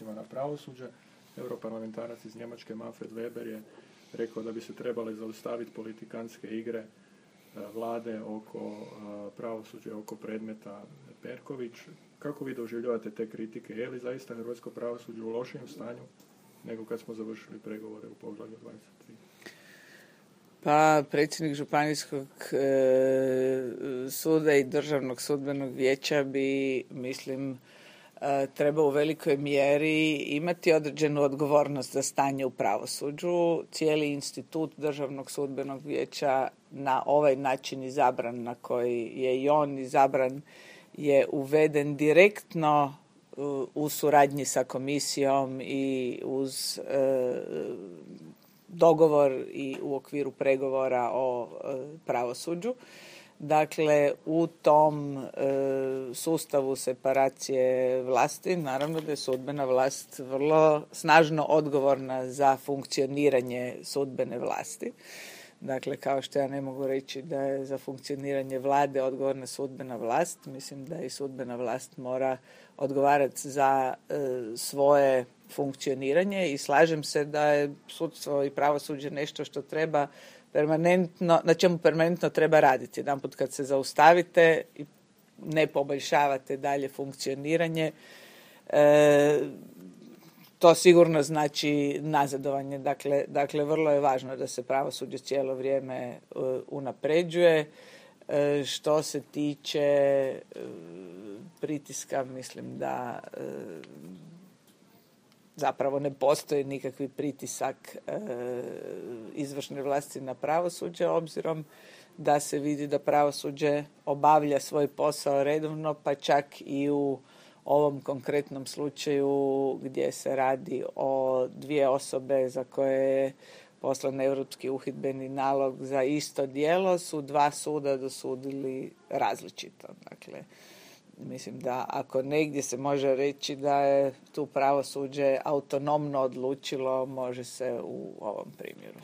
odnosima na pravosuđe. Europarlamentarac iz Njemačke Manfred Weber je rekao da bi se trebale zaustaviti politikantske igre vlade oko pravosuđa, oko predmeta Perković. Kako vi doživljavate te kritike? Je li zaista hrvatsko pravosuđe u lošijem stanju nego kad smo završili pregovore u poglavlju 23? Pa predsjednik Županijskog suda i Državnog sudbenog vijeća bi, mislim, treba u velikoj mjeri imati određenu odgovornost za stanje u pravosuđu. Cijeli institut Državnog sudbenog vijeća na ovaj način izabran, na koji je i on izabran, je uveden direktno u suradnji sa komisijom i uz dogovor i u okviru pregovora o pravosuđu. Dakle, u tom sustavu separacije vlasti, naravno da je sudbena vlast vrlo snažno odgovorna za funkcioniranje sudbene vlasti. Dakle, kao što ja ne mogu reći da je za funkcioniranje vlade odgovorna sudbena vlast, mislim da i sudbena vlast mora odgovarati za svoje funkcioniranje i slažem se da je sudstvo i pravosuđe nešto što treba permanentno, na čemu permanentno treba raditi. Jedanput kad se zaustavite i ne poboljšavate dalje funkcioniranje, to sigurno znači nazadovanje. Dakle, vrlo je važno da se pravosuđe cijelo vrijeme unapređuje. Što se tiče pritiska, mislim da zapravo ne postoji nikakvi pritisak izvršne vlasti na pravosuđe, obzirom da se vidi da pravosuđe obavlja svoj posao redovno, pa čak i u ovom konkretnom slučaju gdje se radi o 2 osobe za koje je poslan europski uhidbeni nalog za isto djelo, su 2 suda dosudili različito. Dakle, mislim da ako negdje se može reći da je tu pravosuđe autonomno odlučilo, može se u ovom primjeru.